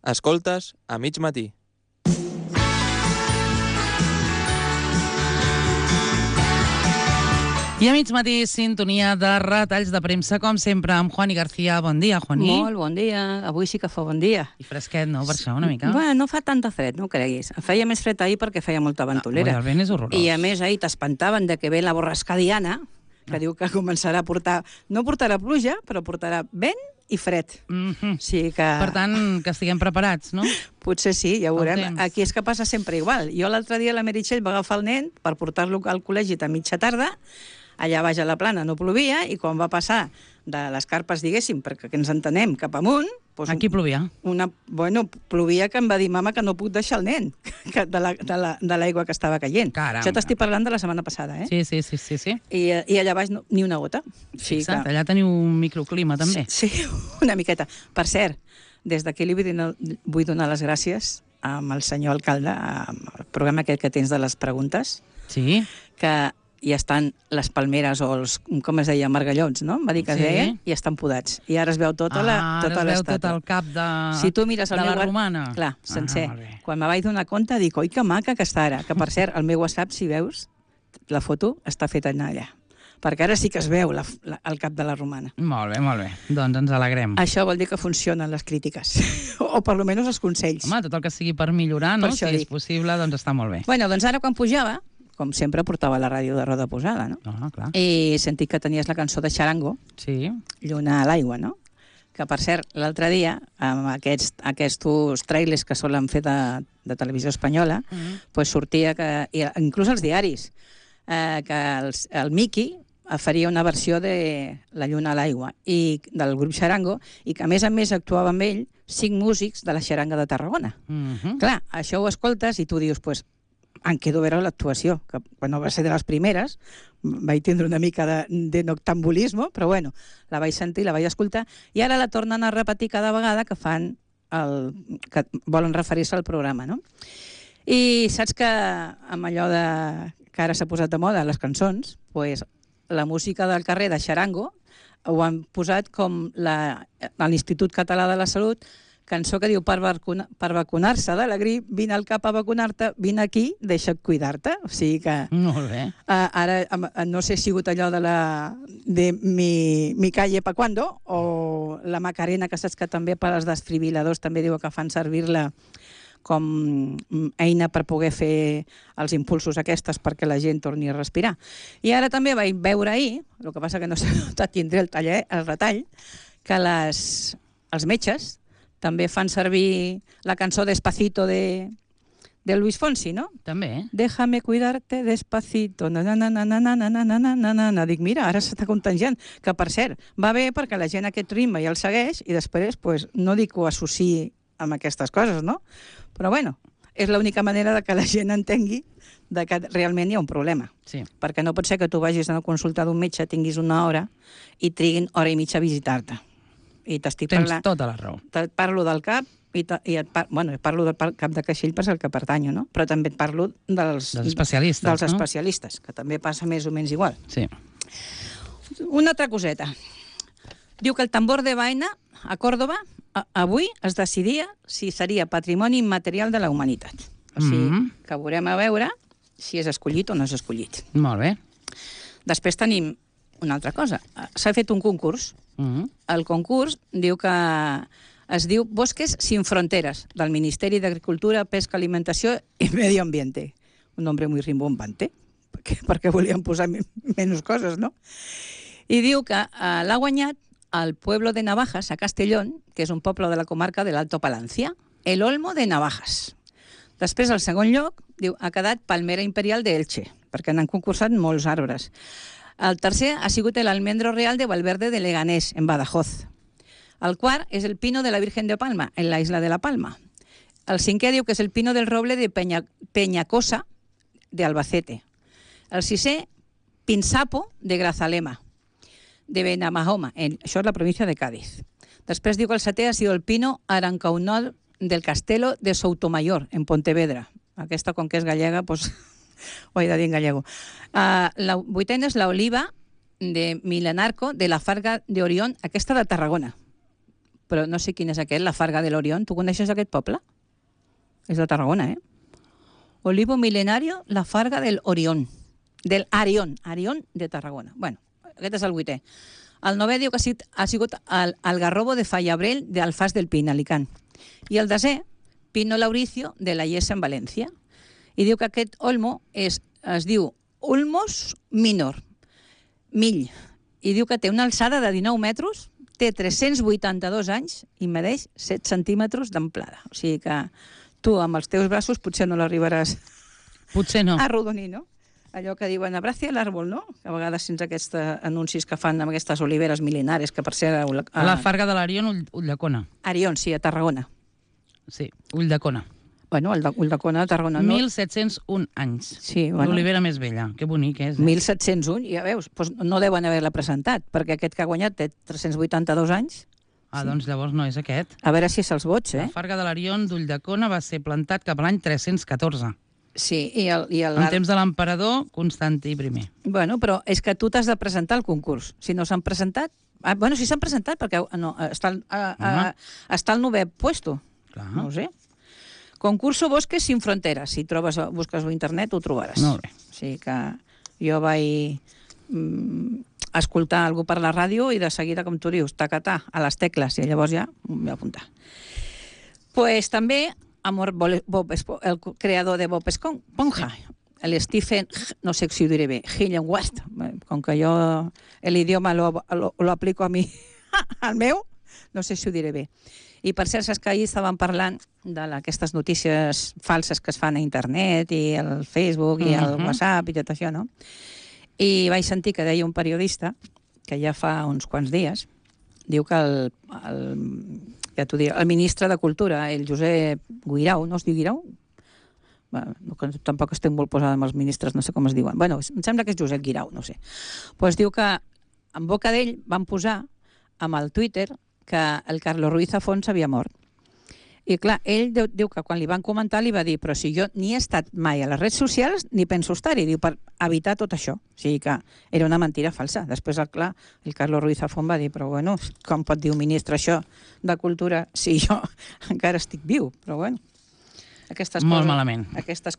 Escoltes a mig matí. I a mig matí, sintonia de retalls de premsa, com sempre, amb Juani García. Bon dia, Juani. Molt bon dia. Avui sí que fa bon dia. I fresquet, no? Per això, una mica. Bueno, no fa tanta fred, no ho creguis. Feia més fred ahir perquè feia molta ventolera. El vent és horrorós. I a més ahir t'espantaven de que ve la borrasca Diana, que diu que començarà a portar... No portarà pluja, però portarà vent i fred. O sigui que... Per tant, que estiguem preparats, no? Potser sí, ja ho veurem. temps. Aquí és que passa sempre igual. Jo l'altre dia la Meritxell va agafar el nen per portar-lo al col·legi a mitja tarda. Allà baix a la plana no plovia, i quan va passar de les carpes, diguéssim, perquè ens entenem, cap amunt... Doncs Aquí plovia. Bueno, plovia, que em va dir mama que no puc deixar el nen de l'aigua que estava caient. Caramba. Això t'estic parlant de la setmana passada, eh? Sí. I allà baix ni una gota. Fixa't, allà teniu un microclima, també. Sí, una miqueta. Per cert, des d'aquí li vull donar les gràcies al senyor alcalde, al programa aquest que tens de les preguntes, Sí. que hi estan les palmeres o els, com es deia, margallons, no? Em va dir que es Sí. deia, i estan podats. I ara es veu tota Ara es veu l'estàtua. tot el cap de, Si tu mires el de la meu romana. Clar, sencer. molt bé. Quan me vaig donar compte, dic, oi, que maca que està ara. Que, per cert, el meu WhatsApp, si veus, la foto està feta allà. Perquè ara sí que es veu el cap de la romana. Molt bé. Doncs ens alegrem. Això vol dir que funcionen les crítiques. O per almenys els consells. Home, tot el que sigui per millorar, no? Per això Si és dic. possible, doncs està molt bé. Bueno, doncs ara quan pujava, com sempre portava la ràdio de roda posada, no? Clar. I he sentit que tenies la cançó de Xarango, Sí. Lluna a l'aigua, no? Que, per cert, l'altre dia, amb aquests trailers que solen fer de televisió espanyola, pues sortia que, inclús als diaris, que el Miqui faria una versió de La lluna a l'aigua i del grup Xarango, i que a més actuava amb ell 5 músics de la Xaranga de Tarragona. Clar, això ho escoltes i tu dius, pues, em quedo a veure l'actuació, que quan no va ser de les primeres, vaig tindre una mica de noctambulisme, però bueno, la vaig sentir, la vaig escoltar, i ara la tornen a repetir cada vegada que que volen referir-se al programa, no? I saps que amb allò que ara s'ha posat de moda, les cançons, pues, la música del carrer de Xarango ho han posat com a l'Institut Català de la Salut, cançó que diu, per vacunar-se de la grip, vine al cap a vacunar-te, vine aquí, deixa't cuidar-te. O sigui que... Molt bé. Ara, no sé si ha sigut allò de mi calle pa cuando, o la Macarena, que saps que també per als desfibriladors també diu que fan servir-la com eina per poder fer els impulsos aquestes perquè la gent torni a respirar. I ara també vaig veure ahir, el que passa que no sé, tindré el retall, que els metges també fan servir la cançó Despacito de Luis Fonsi, no? També. Déjame cuidarte despacito, Dic, mira, ara s'està contagiant. Que, per cert, va bé perquè la gent aquest ritme ja el segueix i després, pues, no dic que ho associï amb aquestes coses, no? Però, bueno, és l'única manera de que la gent entengui que realment hi ha un problema. Sí. Perquè no pot ser que tu vagis a una consulta d'un metge, tinguis una hora i triguin hora i mitja a visitar-te. I t'estic parlant... Tens tota la raó. Et parlo del cap, parlo del cap de Caixell per al que pertanyo, no? Però també et parlo dels especialistes, dels no? especialistes, que també passa més o menys igual. Sí. Una altra coseta. Diu que el tambor de Baena, a Còrdoba, avui es decidia si seria patrimoni immaterial de la humanitat. O sigui, que veurem a veure si és escollit o no és escollit. Molt bé. Després tenim una altra cosa. S'ha fet un concurs. El concurs diu que es diu Bosques sin fronteras, del Ministeri d'Agricultura, Pesca, Alimentació i Medio Ambiente. Un nombre muy rimbombante, perquè volien posar menys coses, no? I diu que l'ha guanyat al pueblo de Navajas, a Castellón, que és un poble de la comarca de l'Alto Palancia, el Olmo de Navajas. Després, al segon lloc, diu, ha quedat Palmera Imperial d'Elche, perquè n'han concursat molts arbres. El tercer ha sigut l'Almendro Real de Valverde de Leganés, en Badajoz. El quart és el Pino de la Virgen de Palma, en la isla de la Palma. El cinquè diu que és el Pino del Roble de Peñacosa, de Albacete. El sisè, Pinsapo, de Grazalema, de Benamahoma, això és la província de Cádiz. Després diu que el setè ha sigut el Pino Arancaunol del Castelo de Soutomayor, en Pontevedra. Aquesta, com que és gallega, doncs... ho he de dir en gallego. La vuitena és l'oliva de Milenarco, de la Farga de Orión, aquesta de Tarragona. però no sé quin és aquest, la Farga de l'Orion. Tu coneixes aquest poble? És de Tarragona, Olivo milenario, la Farga del Orión. Del Arión de Tarragona. Bueno, aquest és el 8è. El 9è diu que ha sigut el Garrobo de Fallabrell d'Alfàs del Pi, Alicant. I el 10è, Pino Lauricio de la Iessa en València. I diu que aquest olmo es diu Ulmos minor, mill. I diu que té una alçada de 19 metres, té 382 anys i medeix 7 centímetres d'amplada. O sigui que tu amb els teus braços potser no l'arribaràs a arrodonir, no? Allò que diuen abracia l'àrbol, no? Que a vegades fins aquests anuncis que fan amb aquestes oliveres mil·lenares que per ser... La Farga de l'Arion, Ulldecona. Arion, sí, a Tarragona. Sí, Ulldecona. Bueno, Ulldecona, a Tarragona. 1701 anys. Sí, bueno. L'olivera més vella. Que bonic és. 1701, ja veus, doncs no deuen haver-la presentat, perquè aquest que ha guanyat té 382 anys. Ah, doncs llavors no és aquest. A veure si se'ls vots, La Farga de l'Arion d'Ulldecona va ser plantat cap a l'any 314. Sí, en temps de l'emperador Constantí I. Bueno, però és que tu t'has de presentar al concurs. Si no s'han presentat... Bueno, si s'han presentat, perquè no, està al 9è puesto. Clar. No ho sé. Concurso Bosques sin Fronteras. Si busques a internet, ho trobaràs. Molt bé. O sigui que jo vaig escoltar algú per la ràdio i de seguida, com tu dius, tacatà, a les tecles, i llavors ja m'ho vaig apuntar. Pues també... el creador de Bob Esponja, el Stephen, no sé si ho diré bé, Hillenwast, com que jo l'idioma lo aplico a mi, al meu, no sé si ho diré bé. I per cert, saps que ahir estàvem parlant d'aquestes notícies falses que es fan a internet i al Facebook i al WhatsApp i tot això, no? I vaig sentir que deia un periodista, que ja fa uns quants dies, diu que el ministre de Cultura, el Josep Guirau, no es diu Guirau? Tampoc estic molt posada amb els ministres, no sé com es diuen. Bueno, em sembla que és Josep Guirau, no sé. Doncs diu que en boca d'ell van posar amb el Twitter que el Carlos Ruiz Zafón s'havia mort. I clar, ell diu que quan li van comentar li va dir però si jo ni he estat mai a les redes socials ni penso estar-hi, diu, per evitar tot això. O sigui que era una mentira falsa. Després, clar, el Carlos Ruiz Zafón va dir però bueno, com pot dir un ministre això de Cultura si jo encara estic viu? Però bueno, aquestes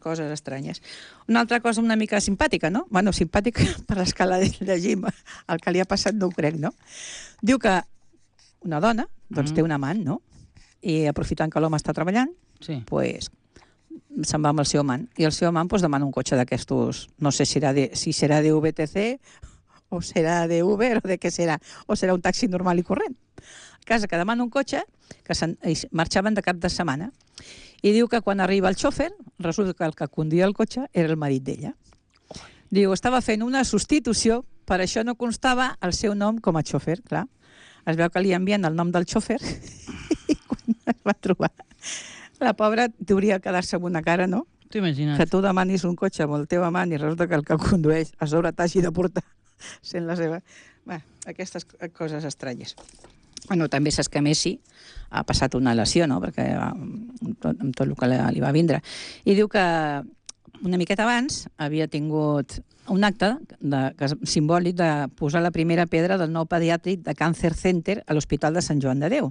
coses estranyes. Una altra cosa una mica simpàtica, no? Bueno, simpàtica per l'escala de llegim, el que li ha passat no ho crec, no? Diu que una dona, doncs té un amant, no? I aprofitant que l'home està treballant, pues, se'n va amb el seu amant. I el seu amant pues, demana un cotxe d'aquestos, no sé si serà de VTC o serà de Uber o de què serà, o serà un taxi normal i corrent. A casa que demana un cotxe, que marxaven de cap de setmana, i diu que quan arriba el xòfer, resulta que el que conduïa el cotxe era el marit d'ella. Diu, estava fent una substitució, per això no constava el seu nom com a xòfer, clar. Es veu que li envien el nom del xòfer i quan es va trobar la pobra hauria de quedar-se amb una cara, no? T'imagines. Que tu demanis un cotxe amb el teu amant i resulta que el que condueix a sobre t'hagi de portar sent la seva... Bé, aquestes coses estranyes. Bueno, també saps que Messi ha passat una lesió, no?, perquè amb tot el que li va vindre. I diu que una miqueta abans havia tingut un acte simbòlic de posar la primera pedra del nou pediàtric de Cancer Center a l'Hospital de Sant Joan de Déu,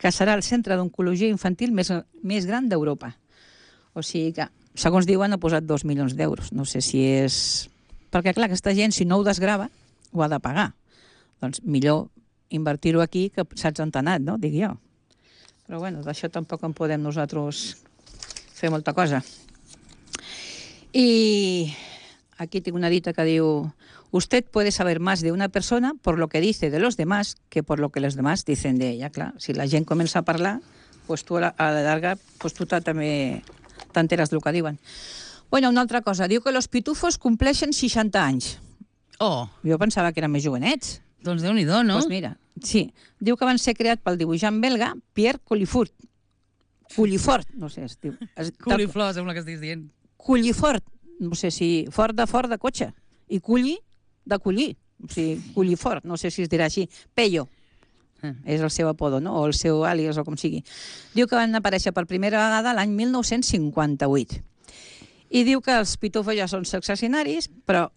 que serà el centre d'oncologia infantil més gran d'Europa. O sigui que, segons diuen, ha posat 2 milions d'euros. No sé si és... Perquè, clar, aquesta gent, si no ho desgrava, ho ha de pagar. Doncs millor invertir-ho aquí que saps on t'ha anat, no?, dic jo. Però, bueno, d'això tampoc en podem nosaltres fer molta cosa. Y aquí tengo una dita que diu: usted puede saber más de una persona por lo que dice de los demás que por lo que los demás dicen de ella. Clar, si la gent comença a parlar, pues tu a la llarga pues tu també t'enteres del que diuen. Bueno, una altra cosa. Diu que los pitufos compleixen 60 anys. Oh! Jo pensava que eren més jovenets. Doncs Déu-n'hi-do, no? Doncs mira, sí. Diu que van ser creats pel dibuixant belga Pierre Cullifort. Cullifort, no sé, es diu. Culliflor, sembla que estiguis dient. Cullifort, no sé si fort de cotxe, i culli de collir, o sigui, Cullifort, no sé si es dirà així, Pello, és el seu apodo, no?, o el seu àlies, o com sigui. Diu que van aparèixer per primera vegada l'any 1958. I diu que els pitufos ja són successionaris, però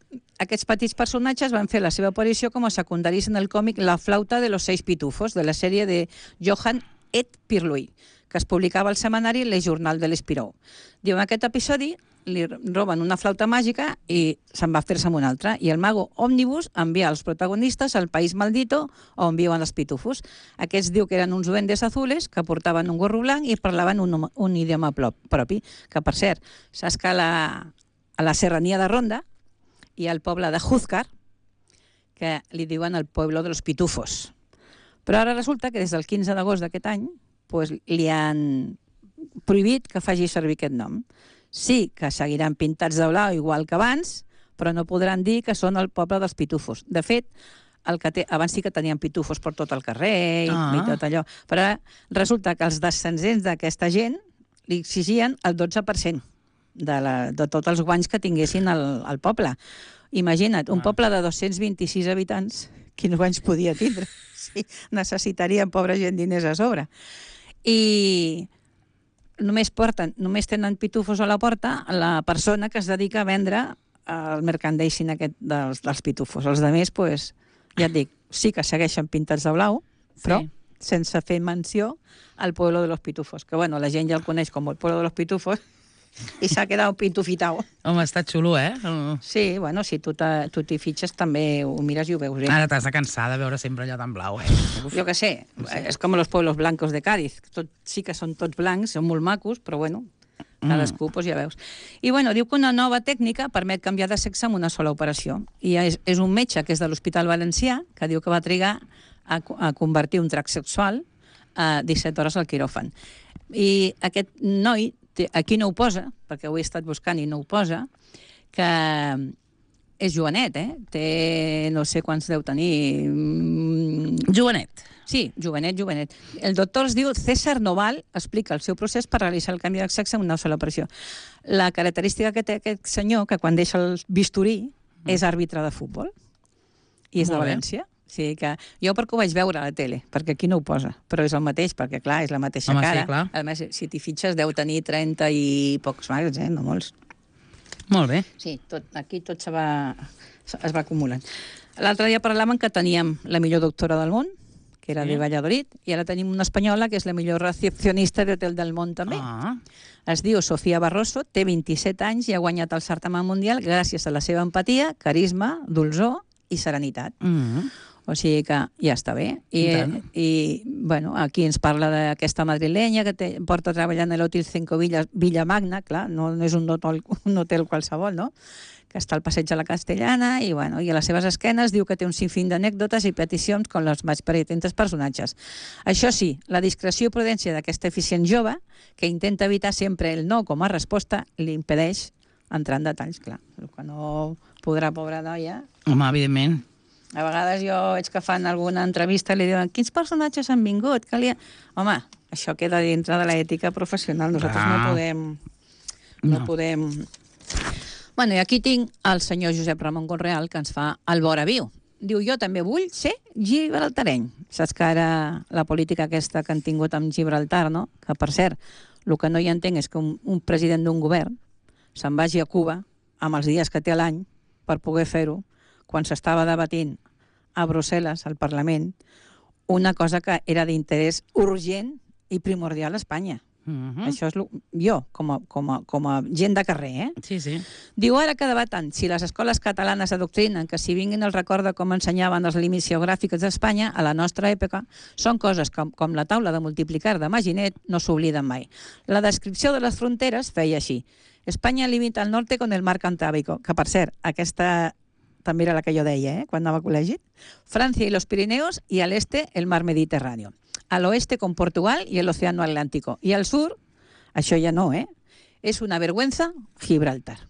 aquests petits personatges van fer la seva aparició com a secundaris en el còmic La flauta de los 6 pitufos, de la sèrie de Johan et Pirlouit, que es publicava al setmanari Le Journal de l'Espirou. Diu, en aquest episodi li roben una flauta màgica i se'n va fer-se amb una altra. I el mago Òmnibus envia els protagonistes al país maldito on viuen els pitufos. Aquests diu que eren uns duendes azules que portaven un gorro blanc i parlaven un idioma propi. Que, per cert, saps que a la serrania de Ronda hi ha el poble de Júzcar, que li diuen el pueblo de los pitufos. Però ara resulta que des del 15 d'agost d'aquest any pues, li han prohibit que faci servir aquest nom. Sí que seguiran pintats de blau igual que abans, però no podran dir que són el poble dels pitufos. De fet, abans sí que tenien pitufos per tot el carrer i tot allò, però resulta que els descendents d'aquesta gent li exigien el 12% de tots els guanys que tinguessin al poble. Imagina't, un poble de 226 habitants, quins guanys podia tindre? Sí, necessitarien, pobra gent, diners a sobre. I només tenen pitufos a la porta la persona que es dedica a vendre el merchandising aquest dels pitufos. Els altres, pues, ja et dic, sí que segueixen pintats de blau, però sense fer menció al pueblo de los pitufos, que bueno, la gent ja el coneix com el pueblo de los pitufos i s'ha quedat pitufitau. Home, està xulo, eh? Sí, bueno, si tu t'hi fitxes també ho mires i ho veus bé. Ara t'has de cansar de veure sempre allò tan blau, eh? Jo què sé, és com los pueblos blancos de Cádiz. Sí que són tots blancs, són molt macos, però bueno, cadascú, doncs ja veus. I bueno, diu que una nova tècnica permet canviar de sexe amb una sola operació. I és un metge que és de l'Hospital Valencià, que diu que va trigar a convertir un tracte sexual a 17 hores al quiròfan. I aquest noi, aquí no ho posa, perquè ho he estat buscant i no ho posa, que és jovenet, té no sé quants deu tenir. Jovenet. Sí, jovenet. El doctor es diu César Noval, explica el seu procés per realitzar el canvi de sexe en una sola operació. La característica que té aquest senyor, que quan deixa el bisturí, és àrbitre de futbol, i és de València. Sí, que jo perquè ho vaig veure a la tele, perquè aquí no ho posa, però és el mateix, perquè clar, és la mateixa cara. Sí, clar. A més, si t'hi fitxes deu tenir 30 i pocs mags, no molts. Molt bé. Sí, aquí tot es va acumulant. L'altre dia parlàvem que teníem la millor doctora del món, que era de Valladolid, i ara tenim una espanyola que és la millor recepcionista d'Hotel del Món també. Es diu Sofia Barroso, té 27 anys i ha guanyat el certamen mundial gràcies a la seva empatia, carisma, dolçor i serenitat. O sigui que ja està bé. I bueno, aquí ens parla d'aquesta madrilenya que porta treballant a l'Hotel 5 Villamagna, clar, no és un hotel qualsevol, no? Que està al passeig de la Castellana i a les seves esquenes diu que té un sinfín d'anècdotes i peticions com les més pretentes personatges. Això sí, la discreció i prudència d'aquesta eficient jove, que intenta evitar sempre el no com a resposta, li impedeix entrar en detalls, clar. El que no podrà, pobra noia. Home, evidentment. A vegades jo veig que fan alguna entrevista i li diuen quins personatges han vingut? Home, això queda dintre de l'ètica professional. Nosaltres no podem... Bueno, i aquí tinc el senyor Josep Ramon Conreal, que ens fa el Vora Viu. Diu, jo també vull ser gibraltareny. Saps que ara la política aquesta que han tingut amb Gibraltar, no? Que, per cert, el que no hi entenc és que un president d'un govern se'n vagi a Cuba amb els dies que té a l'any per poder fer-ho, quan s'estava debatint a Brussel·les, al Parlament, una cosa que era d'interès urgent i primordial a Espanya. Això és jo, com a gent de carrer. Sí. Diu, ara que debaten si les escoles catalanes adoctrinen que si vinguin el record de com ensenyaven els límits geogràfics d'Espanya a la nostra època, són coses com la taula de multiplicar de Maginet no s'obliden mai. La descripció de les fronteres feia així. Espanya limita al norte con el mar Cantábrico, que per cert, aquesta també era la que jo deia, quan anava a col·legi. Francia y los Pirineos, y al este el mar Mediterráneo. Al oeste con Portugal y el océano Atlántico. Y al sur, això ja no, és una vergüenza Gibraltar.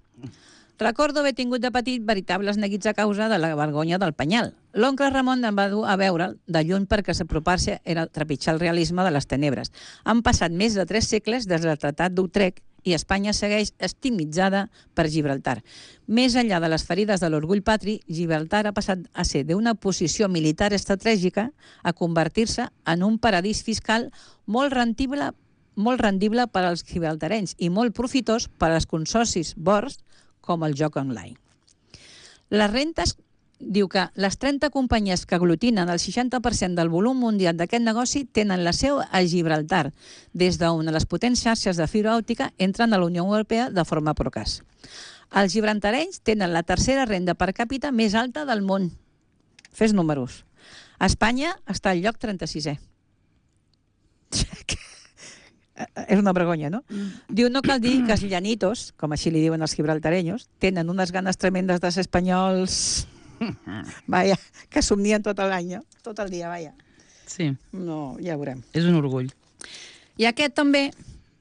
Recordo haver tingut de petit veritables neguits a causa de la vergonya del penyal. L'oncle Ramon em va dur a veure de lluny perquè s'apropar-se era trepitjar el realisme de les tenebres. Han passat més de 3 segles des del Tractat d'Utrecht i Espanya segueix estigmatitzada per Gibraltar. Més enllà de les ferides de l'orgull patri, Gibraltar ha passat a ser d'una posició militar estratègica a convertir-se en un paradís fiscal molt rendible molt rendible per als gibraltarenys i molt profitós per als consorcis bords com el joc online. Les rentes, diu que les 30 companyies que aglutinen el 60% del volum mundial d'aquest negoci tenen la seu a Gibraltar, des d'on les potents xarxes de fibra òptica entren a la Unió Europea de forma procàs. Els gibraltarenys tenen la tercera renda per càpita més alta del món. Fes números. Espanya està al lloc 36è. És una vergonya, no? Diu, no cal dir que els llanitos, com així li diuen els gibraltarenyos, tenen unes ganes tremendes de ser espanyols... Vaja, que somnien tot l'any, tot el dia, vaja. Sí. No, ja veurem. És un orgull. I aquest també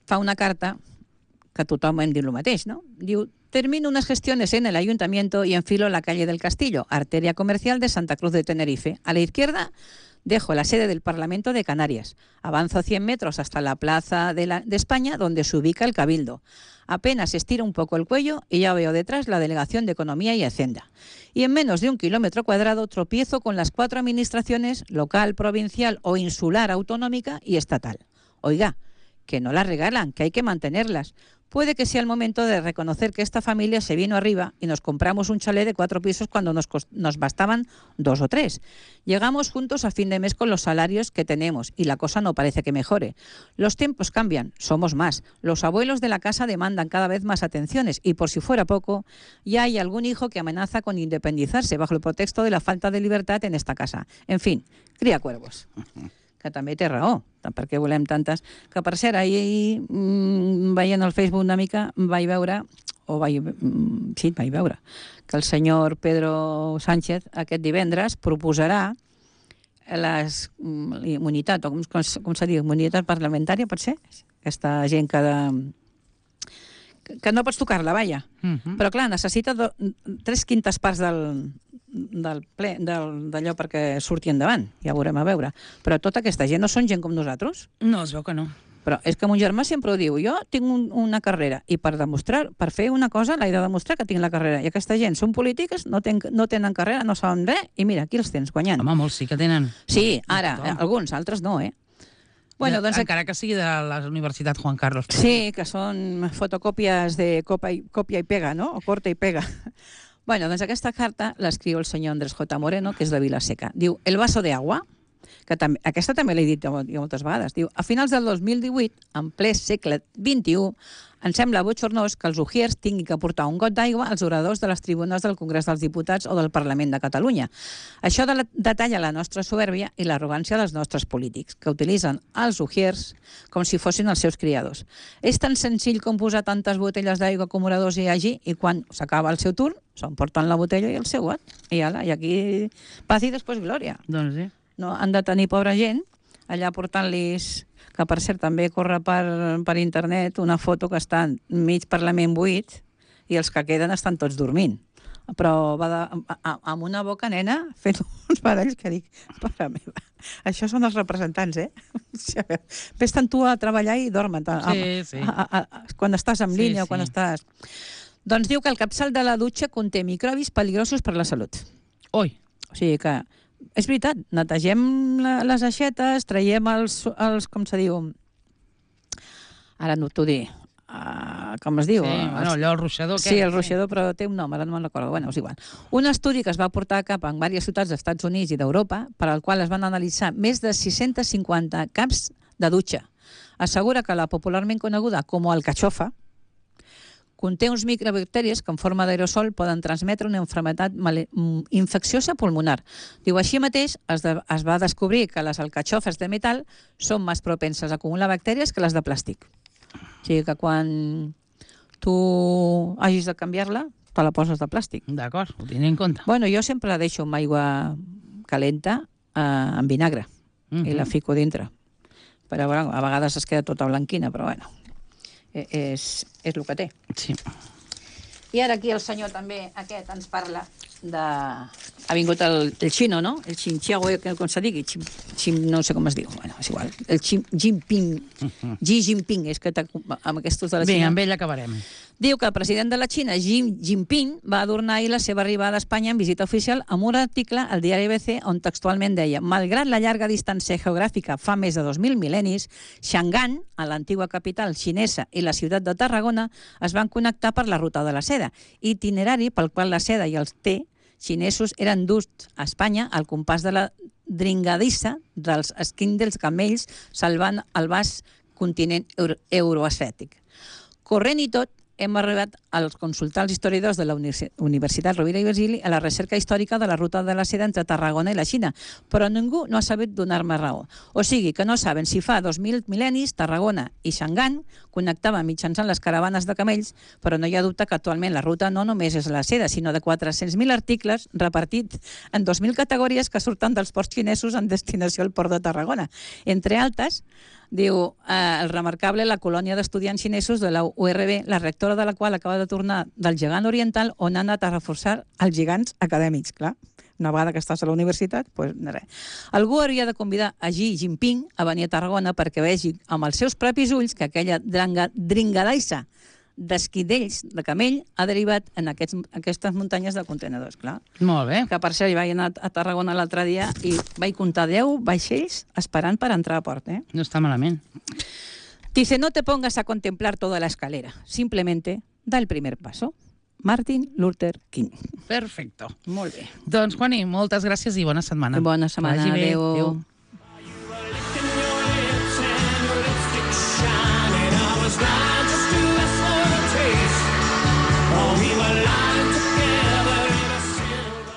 fa una carta que tothom hem dit el mateix, no? Diu, termino unas gestiones en el ayuntamiento y enfilo la calle del Castillo, arteria comercial de Santa Cruz de Tenerife. A la izquierda dejo la sede del Parlamento de Canarias. Avanzo 100 metros hasta la Plaza de España, donde se ubica el Cabildo. Apenas estiro un poco el cuello y ya veo detrás la Delegación de Economía y Hacienda. Y en menos de 1 kilómetro cuadrado tropiezo con las 4 administraciones, local, provincial o insular, autonómica y estatal. Oiga, que no las regalan, que hay que mantenerlas. Puede que sea el momento de reconocer que esta familia se vino arriba y nos compramos un chalet de 4 pisos cuando nos bastaban 2 o 3. Llegamos juntos a fin de mes con los salarios que tenemos y la cosa no parece que mejore. Los tiempos cambian, somos más. Los abuelos de la casa demandan cada vez más atenciones y, por si fuera poco, ya hay algún hijo que amenaza con independizarse bajo el pretexto de la falta de libertad en esta casa. En fin, cría cuervos. Que també té raó, perquè volem tantes... Que, per cert, ahir, veient el Facebook una mica, vaig veure que el senyor Pedro Sánchez aquest divendres proposarà l'immunitat, o com se diu, immunitat parlamentària, pot ser? Aquesta gent que no pots tocar-la, vaja. Però, clar, necessita 3/5 parts d'allò perquè surti endavant, ja ho veurem a veure. Però tota aquesta gent no són gent com nosaltres? No, es veu que no. Però és que mon germà sempre ho diu, jo tinc una carrera i per fer una cosa l'he de demostrar que tinc la carrera. I aquesta gent són polítiques, no tenen carrera, no saben res, i mira, aquí els tens guanyant. Home, molts sí que tenen. Sí, ara, alguns, altres no, Bueno, doncs, encara que sigui de la Universitat Juan Carlos. Sí, que són fotocòpies de còpia i pega, no? O corta i pega. Bueno, doncs aquesta carta l'escriu el senyor Andrés J. Moreno, que és de Vilaseca. Diu, el vaso de agua, que aquesta també l'he dit moltes vegades. Diu, a finals del 2018, en ple segle XXI, em sembla bochornós que els ujiers tinguin que portar un got d'aigua als oradors de les tribunes del Congrés dels Diputats o del Parlament de Catalunya. Això detalla la nostra soberbia i l'arrogància dels nostres polítics, que utilitzen els ujiers com si fossin els seus criadors. És tan senzill com posar tantes botelles d'aigua com oradors hi hagi i quan s'acaba el seu turn, s'emporten la botella i el seu got. I aquí paz i després glòria. Doncs sí. No, han de tenir pobra gent allà portant-los, que per cert també corre per internet una foto que està mig Parlament buit i els que queden estan tots dormint. Però va amb una boca nena fent uns badalls que dic, pare meva, això són els representants, Ves-te'n tu a treballar i dormen. Sí. Quan estàs en línia o quan estàs... Doncs diu que el capçal de la dutxa conté microbis peligrosos per la salut. Oi. O sigui que... És veritat, netegem les aixetes, traiem els com se diu... Ara no t'ho dic. Com es diu? Sí, bueno, allò, el ruixador. Sí, el ruixador, però té un nom, ara no me'n recordo. Bueno, és igual. Un estudi que es va portar a cap en diverses ciutats dels Estats Units i d'Europa, per al qual es van analitzar més de 650 caps de dutxa, assegura que la popularment coneguda com el cachofa conté uns microbacteris que en forma d'aerosol poden transmetre una malaltia infecciosa pulmonar. Diu, així mateix es va descobrir que les alcachofes de metall són més propenses a acumular bactèries que les de plàstic. O sigui que quan tu hagis de canviar-la, te la poses de plàstic. D'acord, ho tindré en compte. Bueno, jo sempre la deixo amb aigua calenta amb vinagre i la fico dintre. Però a vegades es queda tota blanquina, però bueno. És el que té. Sí. I ara aquí el senyor també, aquest, ens parla de... Ha vingut el xino, no? El xinxiago, com se digui, no sé com es diu. Bueno, és igual. El Jinping. Xi Jinping, és que amb aquestos de la Xina... Bé, amb ell acabarem. Diu que el president de la Xina, Xi Jinping, va adornar ahir la seva arribada a Espanya en visita oficial amb un article al diari ABC on textualment deia: malgrat la llarga distància geogràfica fa més de 2.000 mil·lennis, Shangan, a l'antiga capital xinesa, i la ciutat de Tarragona es van connectar per la ruta de la seda, itinerari pel qual la seda i els té xinesos eren duts a Espanya al compàs de la dringadissa dels esquins dels camells salvant el vast continent euroasiàtic. Corrent i tot, hem arribat a consultar els historiadors de la Universitat Rovira i Virgili a la recerca històrica de la ruta de la seda entre Tarragona i la Xina, però ningú no ha sabut donar-me raó. O sigui, que no saben si fa 2.000 mil·lennis Tarragona i Shangan connectaven mitjançant les caravanes de camells, però no hi ha dubte que actualment la ruta no només és la seda, sinó de 400.000 articles repartits en 2.000 categories que surten dels ports xinesos en destinació al port de Tarragona. Entre altres, diu, el remarcable la colònia d'estudiants xinesos de la URB, la rectora de la qual acaba de tornar del gegant oriental on ha anat a reforçar els gegants acadèmics, clar. Una vegada que estàs a la universitat, doncs res. Algú hauria de convidar a Xi Jinping a venir a Tarragona perquè vegi amb els seus propis ulls que aquella dringadaissa d'esquidells de camell ha derivat en aquestes muntanyes de contenedors, clar. Molt bé. Que per cert, vaig anar a Tarragona l'altre dia i vaig comptar 10 vaixells esperant per entrar a port, eh? No està malament. Dice, no te pongas a contemplar toda la escalera, simplemente da el primer paso. Martin Luther King. Perfecto. Molt bé. Doncs, Juani, moltes gràcies i bona setmana. Bona setmana. Vagi bé. Adéu. Adéu.